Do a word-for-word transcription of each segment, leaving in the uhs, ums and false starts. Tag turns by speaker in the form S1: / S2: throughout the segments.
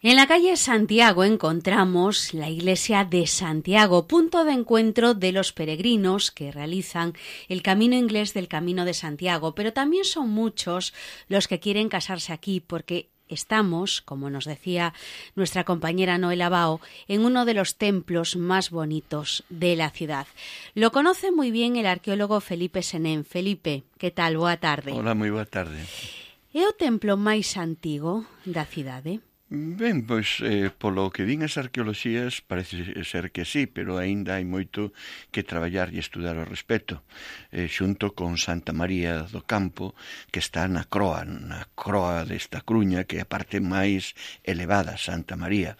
S1: En la calle Santiago encontramos la iglesia de Santiago, punto de encuentro de los peregrinos que realizan el camino inglés del Camino de Santiago, pero también son muchos los que quieren casarse aquí porque estamos, como nos decía nuestra compañera Noela Bao, en uno de los templos más bonitos de la ciudad. Lo conoce muy bien el arqueólogo Felipe Senén. Felipe, que tal? Boa tarde.
S2: Hola, moi boa tarde.
S1: É o templo máis antigo da cidade?
S2: Ben, pois, eh, polo que din as arqueoloxías, parece ser que sí, pero aínda hai moito que traballar e estudar ao respecto, eh, xunto con Santa María do Campo, que está na croa, na croa desta cruña, que é a parte máis elevada, Santa María.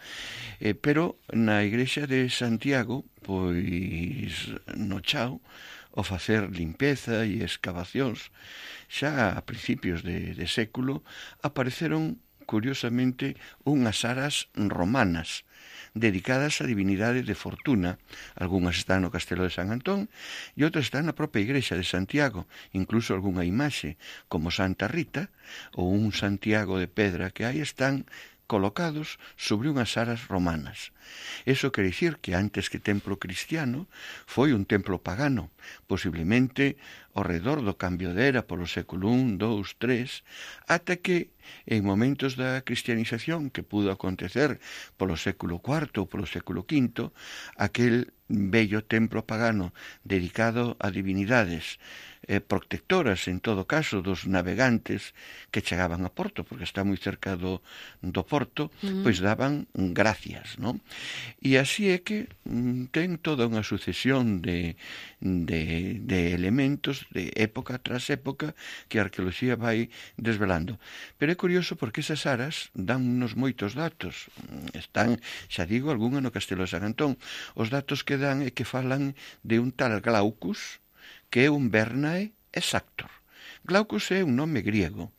S2: Eh, pero na igrexa de Santiago, pois, no chao, ao facer limpeza e escavacións, xa a principios de, de século, apareceron curiosamente unhas aras romanas dedicadas á divinidade de Fortuna. Algúnas están no Castelo de San Antón e outras están na propia igrexa de Santiago, incluso algunha imaxe como Santa Rita ou un Santiago de pedra que aí están colocados sobre unhas aras romanas. Eso quere dicir que antes que templo cristiano foi un templo pagano, posiblemente ao redor do cambio de era polo século I, dous, tres, ata que en momentos da cristianización que pudo acontecer polo século cuarto ou polo século quinto, aquel bello templo pagano dedicado a divinidades eh, protectoras, en todo caso, dos navegantes que chegaban a Porto, porque está moi cerca do, do Porto, uh-huh. pois daban gracias, non? E así é que mm, ten toda unha sucesión de, de, de elementos de época tras época que a arqueoloxía vai desvelando. Pero é curioso porque esas aras dan unos moitos datos. Están, xa digo, algunha no Castelo de San Antón. Os datos que dan é que falan de un tal Glaucus, que é un Bernae exactor. Glaucus é un nome griego,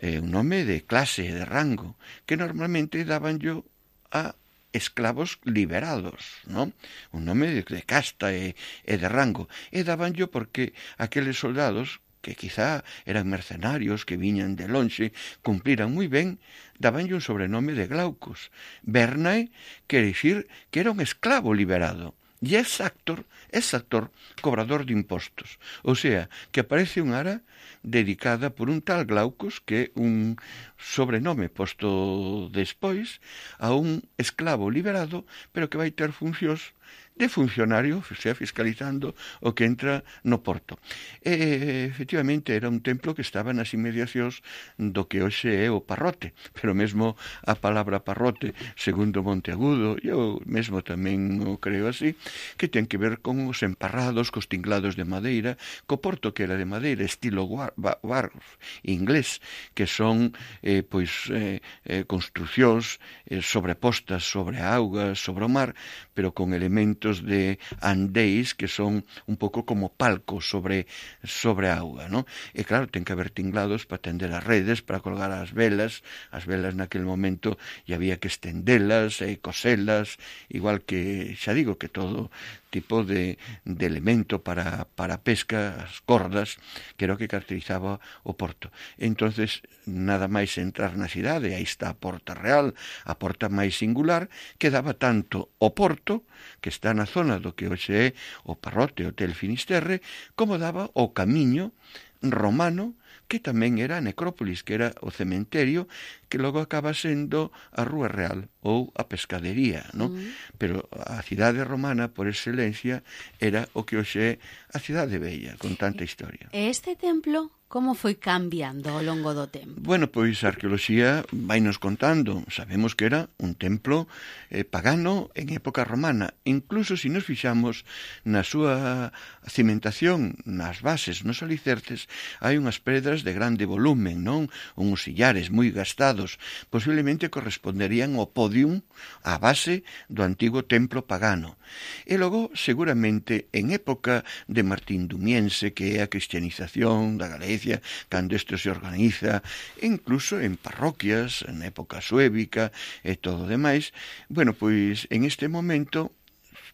S2: é un nome de clase, de rango, que normalmente daban yo a esclavos liberados, non? Un nome de, de casta e, e de rango. E daban yo porque aqueles soldados que quizá eran mercenarios que viñan de lonxe, cumpliran moi ben, dabanlle un sobrenome de Glaucus. Bernae quere dicir que era un esclavo liberado. E exactor, exactor, cobrador de impostos. O sea, que aparece un ara dedicada por un tal Glaucus, que é un sobrenome posto despois a un esclavo liberado, pero que vai ter funcións de funcionario, sea, fiscalizando o que entra no porto. E, efectivamente, era un templo que estaba nas inmediacións do que hoxe é o Parrote, pero mesmo a palabra Parrote, segundo Monteagudo, eu mesmo tamén o creo así, que ten que ver con os emparrados, cos tinglados de madeira, co porto que era de madeira, estilo wharf inglés, que son eh, pois eh, eh, construcións eh, sobrepostas sobre a auga, sobre o mar, pero con elementos de andéis que son un pouco como palcos sobre sobre a auga, non? E claro, ten que haber tinglados para tender as redes, para colgar as velas, as velas naquele momento e había que estendelas e coselas, igual que, xa digo, que todo tipo de, de elemento para, para pesca, as cordas, que era o que caracterizaba o porto. Entonces, nada máis entrar na cidade, aí está a Porta Real, a porta máis singular, que daba tanto o porto, que está na zona do que hoxe é o Parrote, Hotel Finisterre, como daba o camiño romano, que tamén era a necrópolis, que era o cementerio, que logo acaba sendo a Rúa Real ou a pescadería, non? Mm. Pero a cidade romana, por excelencia, era o que hoxe é a cidade bella, con tanta historia.
S1: E este templo como foi cambiando ao longo do tempo?
S2: Bueno, pois a arqueoloxía vai nos contando. Sabemos que era un templo eh, pagano en época romana. Incluso se nos fixamos na súa cimentación, nas bases, nos alicerces, hai unhas pedras de grande volumen, non? Uns sillares moi gastados, posiblemente corresponderían ao podium, á base do antigo templo pagano. E logo, seguramente, en época de Martín Dumiense, que é a cristianización da Galicia, cando isto se organiza, incluso en parroquias, en época suébica e todo o demais, bueno, pois en este momento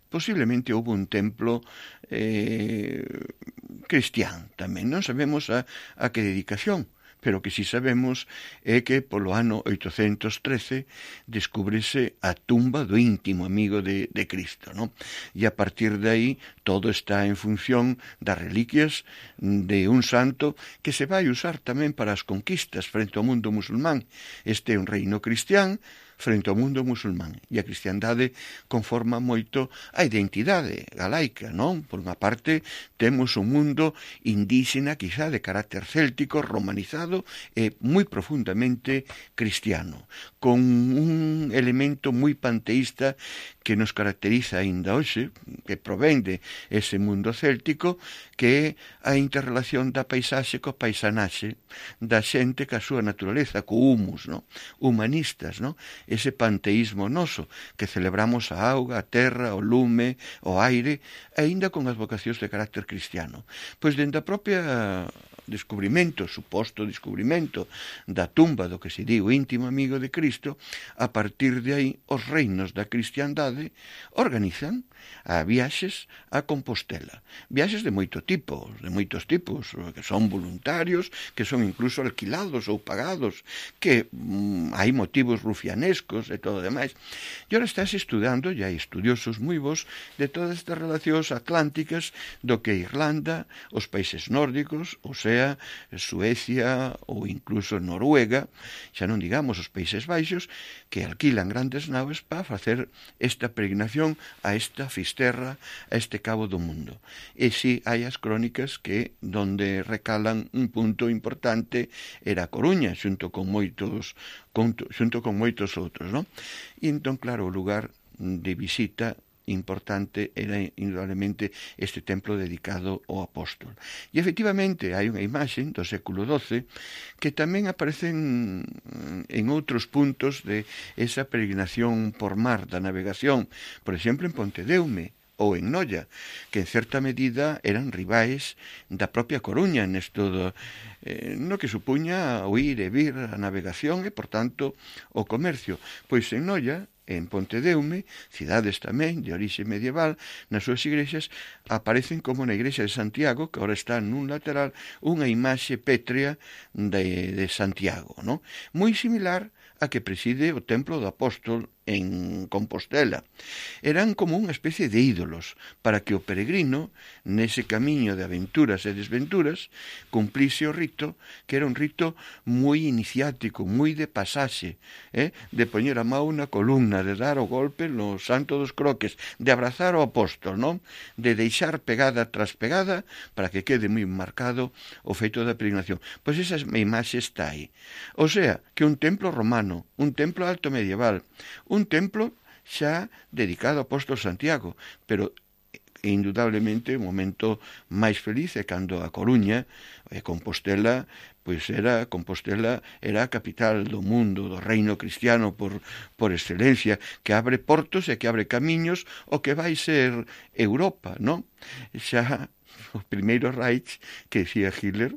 S2: posiblemente houve un templo eh, cristián tamén, non sabemos a, a que dedicación, pero que si sabemos é que polo ano oitocentos trece descúbrese a tumba do íntimo amigo de, de Cristo, non? E a partir de aí todo está en función das reliquias de un santo que se vai usar tamén para as conquistas frente ao mundo musulmán. Este é un reino cristián frente ao mundo musulmán, e a cristiandade conforma moito a identidade galaica, non? Por unha parte, temos un mundo indígena, quizá de carácter céltico, romanizado e moi profundamente cristiano, con un elemento moi panteísta que nos caracteriza aínda hoxe, que provén de ese mundo céltico, que é a interrelación da paisaxe co paisanaxe, da xente ca súa naturaleza, co humus, non? Humanistas, non? Ese panteísmo noso, que celebramos a auga, a terra, o lume, o aire, aínda con as vocacións de carácter cristiano. Pois dende a propia descubrimento, suposto descubrimento da tumba do que se di o íntimo amigo de Cristo, a partir de aí os reinos da cristiandade organizan a viaxes a Compostela. Viaxes de moito tipo, de moitos tipos, que son voluntarios, que son incluso alquilados ou pagados, que mm, hai motivos rufianescos e todo o demais. E ora estás estudando, e hai estudiosos moi bons, de todas estas relacións atlánticas do que Irlanda, os países nórdicos, ou sea, Suecia ou incluso Noruega, xa non digamos os Países Baixos, que alquilan grandes naves para facer esta peregrinación a esta fisterra, a este cabo do mundo. E si hai as crónicas que donde recalan un punto importante era a Coruña, xunto con moitos xunto con moitos outros, non? E entón, claro, o lugar de visita importante era indudablemente este templo dedicado ao apóstol. E efectivamente hai unha imaxe do século doce que tamén aparece en, en outros puntos de esa peregrinación por mar, da navegación, por exemplo en Pontedeume ou en Noia, que en certa medida eran rivais da propia Coruña nesto do, eh, no que supuña o ir e vir a navegación e, por tanto, o comercio. Pois en Noia, en Pontedeume, cidades tamén de orixe medieval, nas súas igrexas aparecen como na igrexa de Santiago, que agora está nun lateral, unha imaxe pétrea de, de Santiago, non? Moi similar a que preside o templo do apóstol en Compostela. Eran como unha especie de ídolos para que o peregrino, nese camiño de aventuras e desventuras, cumplise o rito, que era un rito moi iniciático, moi de pasaxe, eh? De poñer a mão na columna, de dar o golpe no santo dos croques, de abrazar o apóstol, non? De deixar pegada tras pegada para que quede moi marcado o feito da peregrinación. Pois esa imaxe está aí. O sea, que un templo romano, un templo alto medieval, un templo xa dedicado ao apóstol Santiago, pero indudablemente o momento máis feliz é cando a Coruña e Compostela, pois era Compostela era a capital do mundo, do reino cristiano por, por excelencia, que abre portos e que abre camiños o que vai ser Europa, non? Xa o primeiro Reich que decía Hitler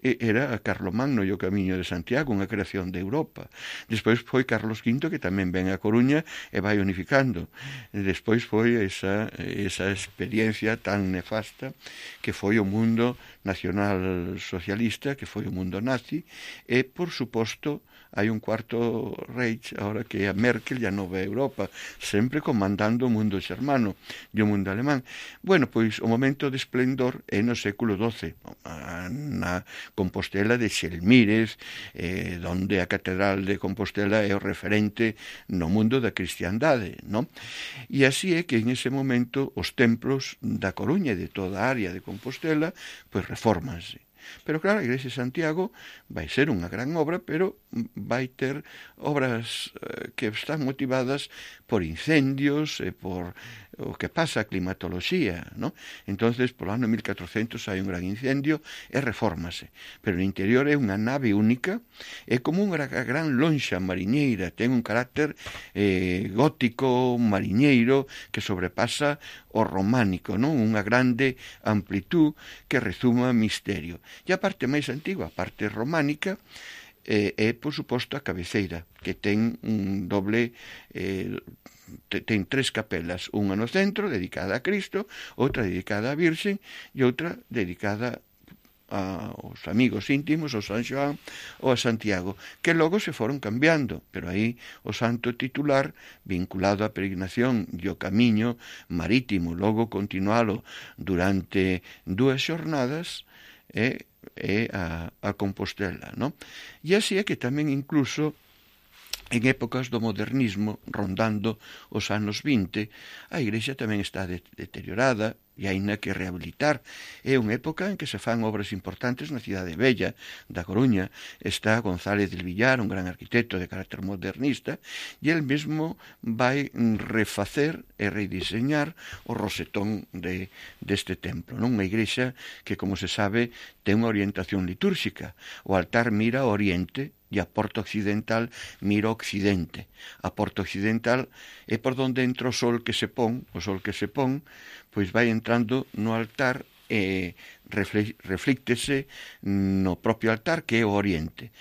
S2: era a Carlomagno e o Camiño de Santiago, unha creación de Europa. Despois foi Carlos quinto, que tamén ven a Coruña e vai unificando. Despois foi esa, esa experiencia tan nefasta que foi o mundo nacional socialista, que foi o mundo nazi, e, por suposto, hai un cuarto Reich, ahora que é a Merkel e a Nova Europa, sempre comandando o mundo xermano e o mundo alemán. Bueno, pois o momento de esplendor é no século doce, na Compostela de Xelmírez, eh, donde a Catedral de Compostela é o referente no mundo da cristiandade, non? E así é que en ese momento os templos da Coruña e de toda a área de Compostela pois refórmanse. Pero claro, a Igrexa de Santiago vai ser unha gran obra, pero vai ter obras eh, que están motivadas por incendios e por o que pasa a climatoloxía, ¿no? Entonces, polo ano mil catrocentos hai un gran incendio e refórmase. Pero no interior é unha nave única, é como unha gran lonxa mariñeira, ten un carácter eh, gótico mariñeiro que sobrepasa o románico, non? Unha grande amplitud que rezuma misterio. E a parte máis antigua, a parte románica, é, é por suposto, a cabeceira, que ten un doble... Eh, ten tres capelas, unha no centro dedicada a Cristo, outra dedicada á Virxen e outra dedicada a, os amigos íntimos, o San Xoán ou a Santiago, que logo se foron cambiando, pero aí o santo titular, vinculado á peregrinación e o camiño marítimo, logo continualo durante dúas xornadas, é, é a, a Compostela, non? E así é que tamén incluso en épocas do modernismo, rondando os anos vinte, a igrexa tamén está de- deteriorada e haina que rehabilitar. É unha época en que se fan obras importantes na cidade bella da Coruña. Está González del Villar, un gran arquitecto de carácter modernista, e el mesmo vai refacer e rediseñar o rosetón de, deste templo, non? Unha igrexa que, como se sabe, ten unha orientación litúrxica. O altar mira ao oriente e a porta occidental mira ao occidente. A porta occidental é por donde entra o sol que se pon, o sol que se pon, pois vai entrando no altar e reflíctese no propio altar, que é o oriente.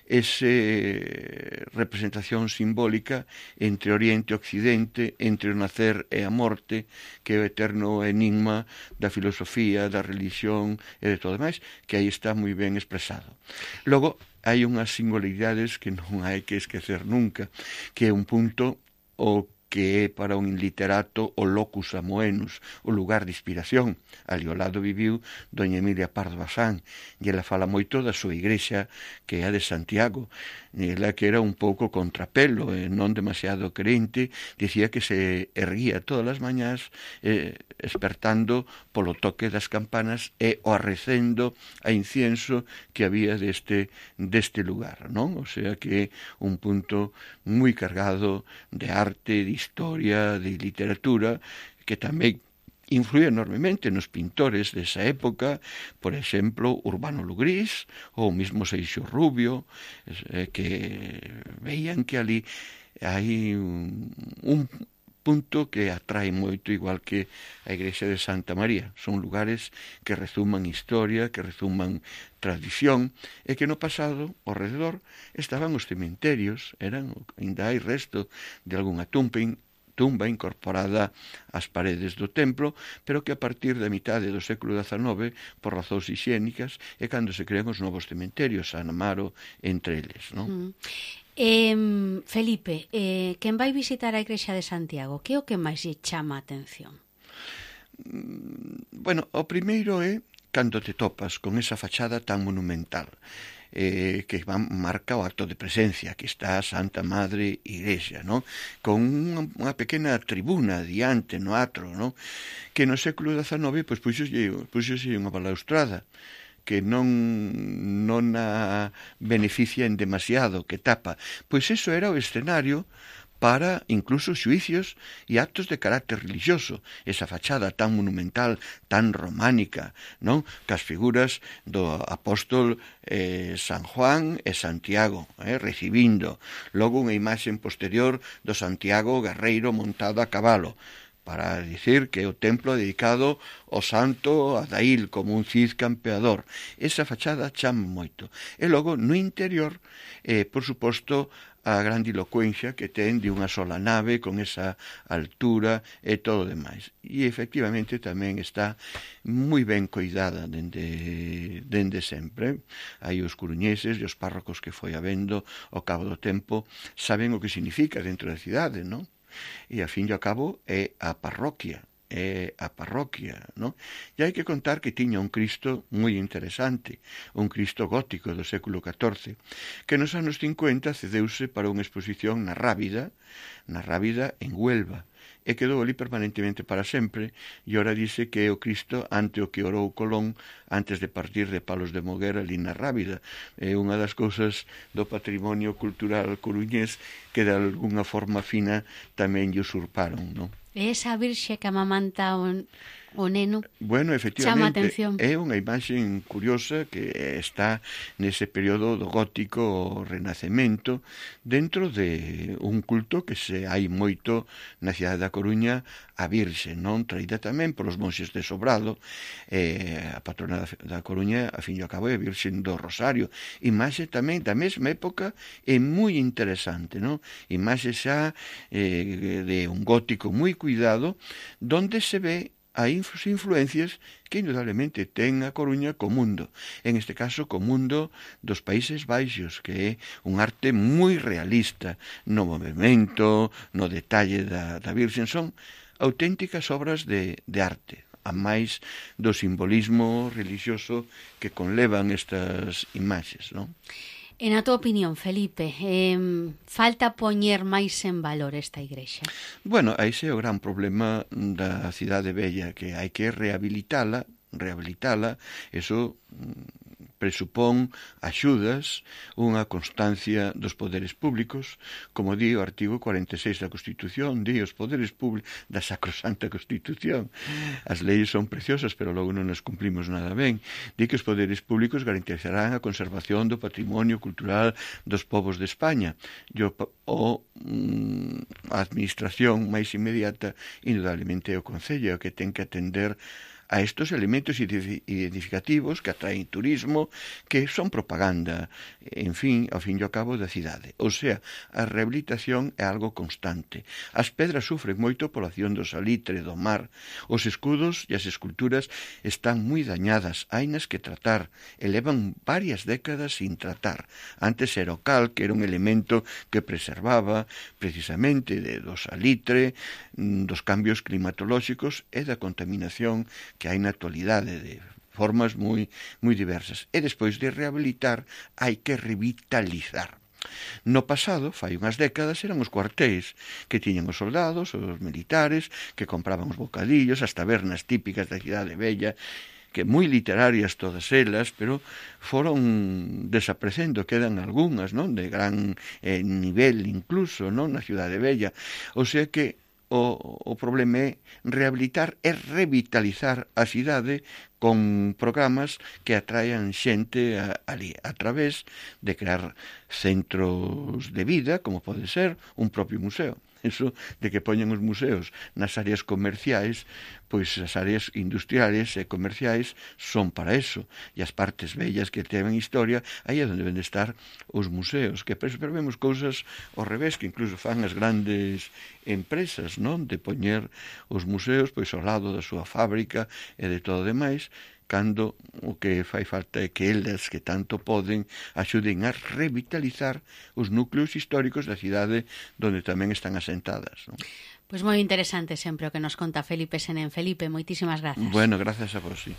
S2: Ese representación simbólica entre Oriente e Occidente, entre o nacer e a morte, que é o eterno enigma da filosofía, da religión e de todo máis, que aí está moi ben expresado. Logo, hai unhas singularidades que non hai que esquecer nunca, que é un punto o que é para un literato o locus amoenus, o lugar de inspiración. Ali ao lado viviu doña Emilia Pardo Bazán, e ela fala moito da súa igrexa, que é a de Santiago. Ela, que era un pouco contrapelo, e non demasiado crente, dicía que se erguía todas as mañás eh, espertando polo toque das campanas e o arrecendo a incienso que había deste, deste lugar, non? O sea que é un punto moi cargado de arte, de historia, de literatura, que tamén influye enormemente nos pintores desa época, por exemplo, Urbano Lugrís ou mismo Seixo Rubio, eh, que veían que ali hai un, un punto que atrae moito, igual que a igrexa de Santa María. Son lugares que rezuman historia, que rezuman tradición, e que no pasado, ao redor, estaban os cementerios, eran, ainda hai resto de algunha tumba, tumba incorporada ás paredes do templo, pero que a partir da mitade do século dezanove, por razóns higiénicas, é cando se crean os novos cementerios, San Amaro entre eles, non?
S1: Mm. Eh, Felipe, eh, quen vai visitar a igrexa de Santiago, que é o que máis lle chama a atención?
S2: Bueno, o primeiro é cando te topas con esa fachada tan monumental, eh, que marca o acto de presencia, que está a Santa Madre Igrexa, ¿no? Con unha, unha pequena tribuna diante no atro, ¿no? Que no século dezanove pois puxose, puxose unha balaustrada que non, non a beneficia en demasiado, que tapa. Pois eso era o escenario para incluso xuicios e actos de carácter religioso, esa fachada tan monumental, tan románica, non? Cas figuras do apóstol eh, San Juan e Santiago, eh, recibindo. Logo unha imaxe posterior do Santiago guerreiro montado a cabalo, para dicir que é o templo dedicado ao santo Adail como un cid campeador. Esa fachada chama moito. E logo, no interior, eh, por suposto, a grandilocuencia que ten de unha sola nave con esa altura e todo o demais. E efectivamente tamén está moi ben coidada dende, dende sempre. Aí os coruñeses e os párrocos que foi habendo ao cabo do tempo saben o que significa dentro da cidade, non? E a fin e ao cabo é a parroquia, é a parroquia, non? E hai que contar que tiña un Cristo moi interesante, un Cristo gótico do século catorce, que nos anos cincuenta cedeuse para unha exposición na Rábida, na Rábida en Huelva, e quedou ali permanentemente para sempre, e ora dice que é o Cristo ante o que orou Colón antes de partir de Palos de Moguer ali na Rábida. É unha das cousas do patrimonio cultural coruñés que de alguna forma fina tamén lle usurparon, non?
S1: E esa virxe que amamanta o, o neno,
S2: bueno,
S1: chama atención.
S2: É unha imaxe curiosa que está nese período do gótico o renacemento, dentro de un culto que se hai moito na cidade da Coruña, a Virxe, non? Traída tamén polos monxes de Sobrado, eh, a patrona da Coruña, a fin e ao cabo, é a Virxe do Rosario. Imaxe tamén da mesma época, é moi interesante, non? Imaxe xa eh, de un gótico moi cuidado, donde se ve hai influencias que indudablemente ten a Coruña co mundo, en este caso co mundo dos Países Baixos, que é un arte moi realista no movimento, no detalle da, da Virxen, son auténticas obras de, de arte, a máis do simbolismo religioso que conlevan estas imaxes, non?
S1: En a tua opinión, Felipe, eh, falta poñer máis en valor esta igrexa?
S2: Bueno, aí é o gran problema da cidade bella, que hai que rehabilitala, rehabilitala, eso presupón axudas, unha constancia dos poderes públicos, como di o artigo cuarenta e seis da Constitución, di os poderes públicos da Sacrosanta Constitución. As leis son preciosas, pero logo non as cumplimos nada ben. Di que os poderes públicos garantizarán a conservación do patrimonio cultural dos povos de España. Yo, o mm, a administración máis inmediata, indudablemente, é o Concello, que ten que atender a estos elementos identificativos que atraen turismo, que son propaganda, en fin, ao fin e ao cabo da cidade. O sea, a rehabilitación é algo constante. As pedras sufren moito pola acción do salitre, do mar. Os escudos e as esculturas están moi dañadas, hainas que tratar, e levan varias décadas sin tratar. Antes era o cal, que era un elemento que preservaba precisamente de, do salitre, dos cambios climatolóxicos e da contaminación que hai na actualidade de formas moi, moi diversas. E despois de rehabilitar hai que revitalizar. No pasado, fai unhas décadas, eran os cuartéis que tiñan os soldados, os militares, que compraban os bocadillos, as tabernas típicas da cidade bella, que moi literarias todas elas, pero foron desaparecendo, quedan algunhas, non, de gran eh, nivel incluso, non, na cidade bella. O sea que O, o problema é rehabilitar e revitalizar a cidade con programas que atraian xente a, ali, a través de crear centros de vida, como pode ser un propio museo. Eso de que poñen os museos nas áreas comerciais, pois as áreas industriales e comerciais son para eso, e as partes bellas que teven historia, aí é onde deben de estar os museos, que pero vemos cousas ao revés, que incluso fan as grandes empresas, non, de poñer os museos pois ao lado da súa fábrica e de todo demais, cando o que fai falta é que elas que tanto poden axuden a revitalizar os núcleos históricos da cidade donde tamén están asentadas, non?
S1: Pois moi interesante sempre o que nos conta Felipe Senén. Felipe, moitísimas grazas.
S2: Bueno, grazas a vos, sí.